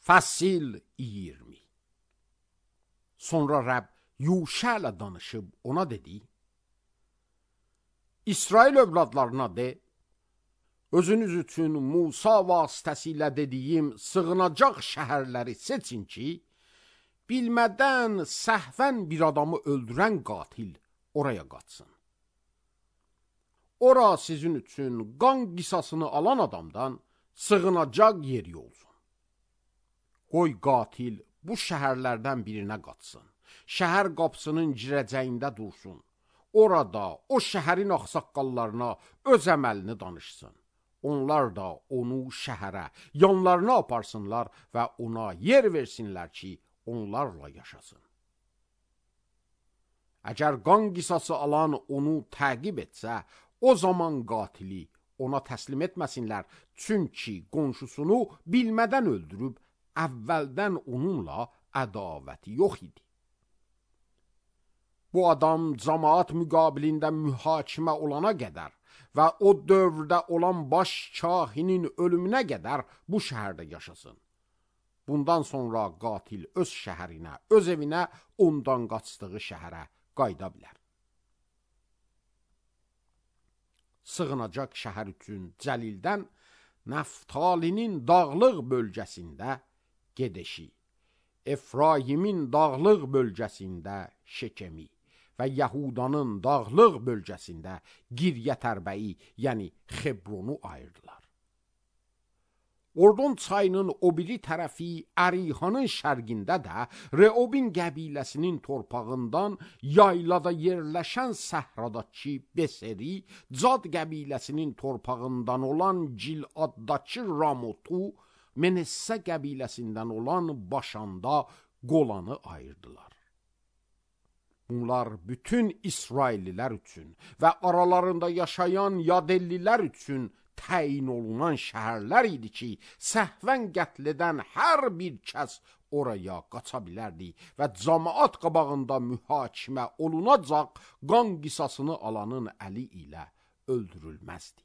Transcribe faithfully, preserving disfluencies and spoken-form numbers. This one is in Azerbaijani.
Fəsil iyirmi. Sonra Rəbb Yuşa ilə danışıb ona dedi: İsrail övladlarına de, özünüz üçün Musa vasitəsilə dediyim sığınacaq şəhərləri seçin ki, bilmədən səhvən bir adamı öldürən qatil oraya qaçsın. Ora sizin üçün qan qisasını alan adamdan sığınacaq yeri olsun. Qoy qatil bu şəhərlərdən birinə qaçsın. Şəhər qapısının girəcəyində dursun. Orada o şəhərin ağsaqqallarına öz əməlini danışsın. Onlar da onu şəhərə, yanlarına aparsınlar və ona yer versinlər ki, onlarla yaşasın. Əgər qan qisası alan onu təqib etsə, o zaman qatili ona təslim etməsinlər, çünki qonşusunu bilmədən öldürüb, əvvəldən onunla ədavəti yox idi. Bu adam cəmaat müqabilində mühakimə olana qədər və o dövrdə olan baş kahinin ölümünə qədər bu şəhərdə yaşasın. Bundan sonra qatil öz şəhərinə, öz evinə, ondan qaçdığı şəhərə qayıda bilər. Sığınacaq şəhər üçün Cəlildən Nəftalinin dağlıq bölgəsində Gedeşi, Efraimin dağlıq bölgəsində Şekemi və Yahudanın dağlıq bölgəsində Giryətərbəyi, yəni Xebronu ayırdılar. Ordon çayının o biri tərəfi Ərihanın şərqində də Reobin qəbiləsinin torpağından yaylada yerləşən səhradakı Beseri, Cad qəbiləsinin torpağından olan Giladdakı Ramotu, Menessə qəbiləsindən olan Başanda Qolanı ayırdılar. Bunlar bütün İsraillilər üçün və aralarında yaşayan Yadellilər üçün təyin olunan şəhərlər idi ki, səhvən qətl edən hər bir kəs oraya qaça bilərdi və cəmaat qabağında mühakimə olunacaq qan qisasını alanın əli ilə öldürülməzdi.